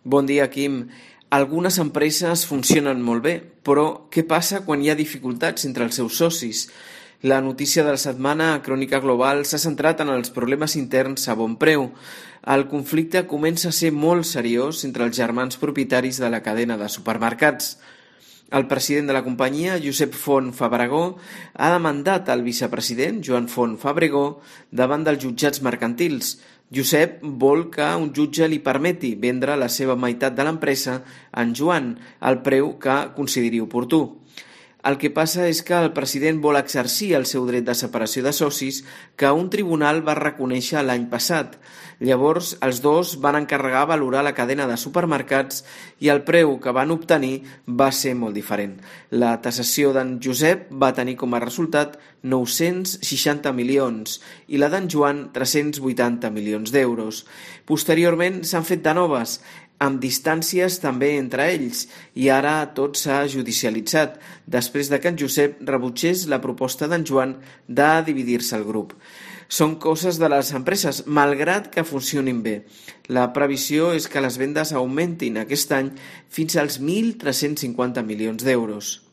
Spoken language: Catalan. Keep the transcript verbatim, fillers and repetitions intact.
Bon dia, Quim. Algunes empreses funcionen molt bé, però què passa quan hi ha dificultats entre els seus socis? La notícia de la setmana a Crònica Global s'ha centrat en els problemes interns a Bonpreu. El conflicte comença a ser molt seriós entre els germans propietaris de la cadena de supermercats. El president de la companyia, Josep Font Fabregó, ha demandat al vicepresident, Joan Font Fabregó, davant dels jutjats mercantils. Josep vol que un jutge li permeti vendre la seva meitat de l'empresa en Joan, al preu que consideri oportú. El que passa és que el president vol exercir el seu dret de separació de socis que un tribunal va reconèixer l'any passat. Llavors, els dos van encarregar valorar la cadena de supermercats i el preu que van obtenir va ser molt diferent. La tasació d'en Josep va tenir com a resultat nou-cents seixanta milions i la d'en Joan tres-cents vuitanta milions d'euros. Posteriorment s'han fet de noves, amb distàncies també entre ells, i ara tot s'ha judicialitzat, després de que en Josep rebutgés la proposta d'en Joan de dividir-se el grup. Són coses de les empreses, malgrat que funcionin bé. La previsió és que les vendes augmentin aquest any fins als mil tres-cents cinquanta milions d'euros.